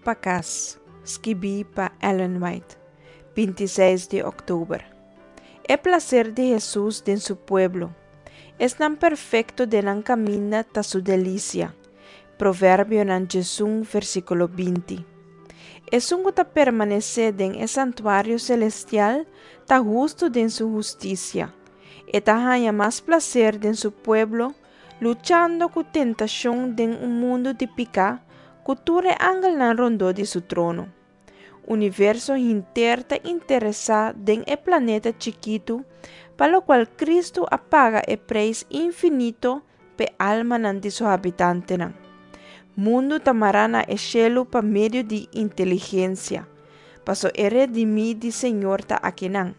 pa kas, skibí pa Ellen White, 26 di òktober. E plaser di Hesus den su pueblo. Esnan perfekto den nan kaminda ta su delisia. Proverbionan 11, versíkulo 20. Esun ku ta permanesé den e santuario selestial ta hustu den su hustisia. E ta haña mas plaser den su pueblo, luchando ku tentashon den un mundu di piká, ku tur e angelnan rondó di su trono. Universo henter ta interesá den e planeta chikitu pa lokual Kristu a paga e preis infinito p'e almanan di su habitantenan. Mundu ta mará na e shelu pa medio di inteligensia, paso e redimí di Señor ta akinan.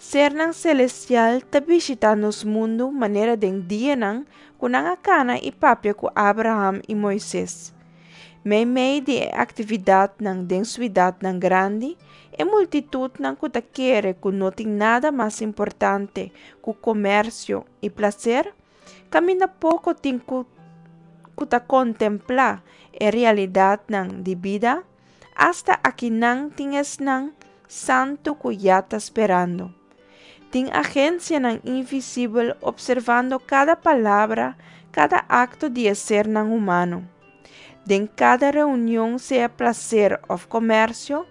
Sernan selestial ta bishitá nos mundu manera den dianan ku nan a kana i papia ku Abraham i Moises. Meimei di e aktividatnan den suidatnan grandi, e multitutnan ku ta kere ku no tin nada mas importante ku komersio i plaser, kaminda poko tin ku ku ta kontemplá e realidatnan di bida, Asta akinan tin esnan santu ku ya ta sperando. Tin agensianan invisibel opservando kada palabra, kada akto di e sernan humano. Den kada reunion sea plaser òf komersio,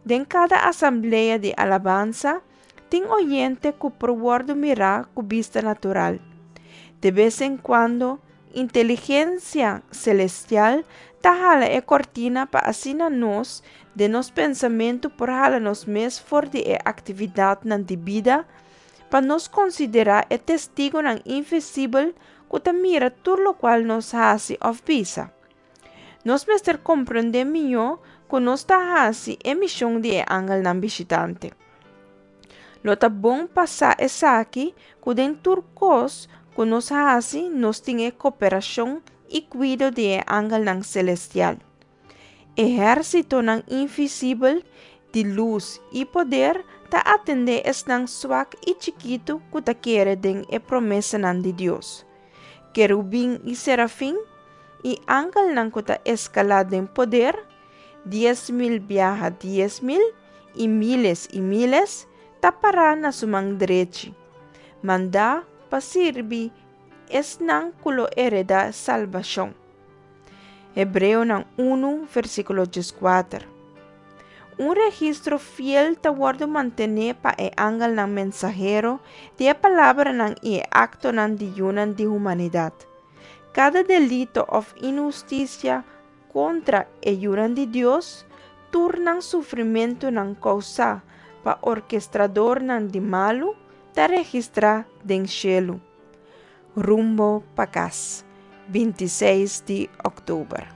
den kada asamblea di alabansa, tin oyente ku por wòrdu mirá ku bista natural. De bes en kuando, Inteligensia selestial ta hala e kortina pa asina nos, den nos pensamentu por hala nos mes for di e aktividatnan di bida, pa nos konsiderá e testigunan invisibel ku ta mira tur lokual nos hasi òf bisa. Nos mester komprendé mihó ku nos ta hasi e mishon di e angelnan bishitante. Lo ta bon pa sa esaki ku den tur kos ku nos hasi nos tin e koperashon i kuido di e angelnan selestial. Ehérsitonan invisibel di lus i poder ta atendé esnan swak i chikitu ku ta kere den e promesanan di Dios. Kerubin i serafin, i angelnan ku ta eskalá den poder, 10,000 biaha 10,000, i míles i míles, ta pará na su man drechi, mandá pa sirbi esnan ku lo heredá salbashon. Hebreonan 1, versíkulo 14. Un registro fiel ta wòrdu mantené pa e angelnan mensahero di e palabranan i e aktonan di yunan di humanidat. Kada delito òf inhustisia Kontra e yunan di Dios, tur nan sufrimentunan kousá pa orkestradornan di malu ta registrá den shelu. Rumbo pa kas, 26 di òktober.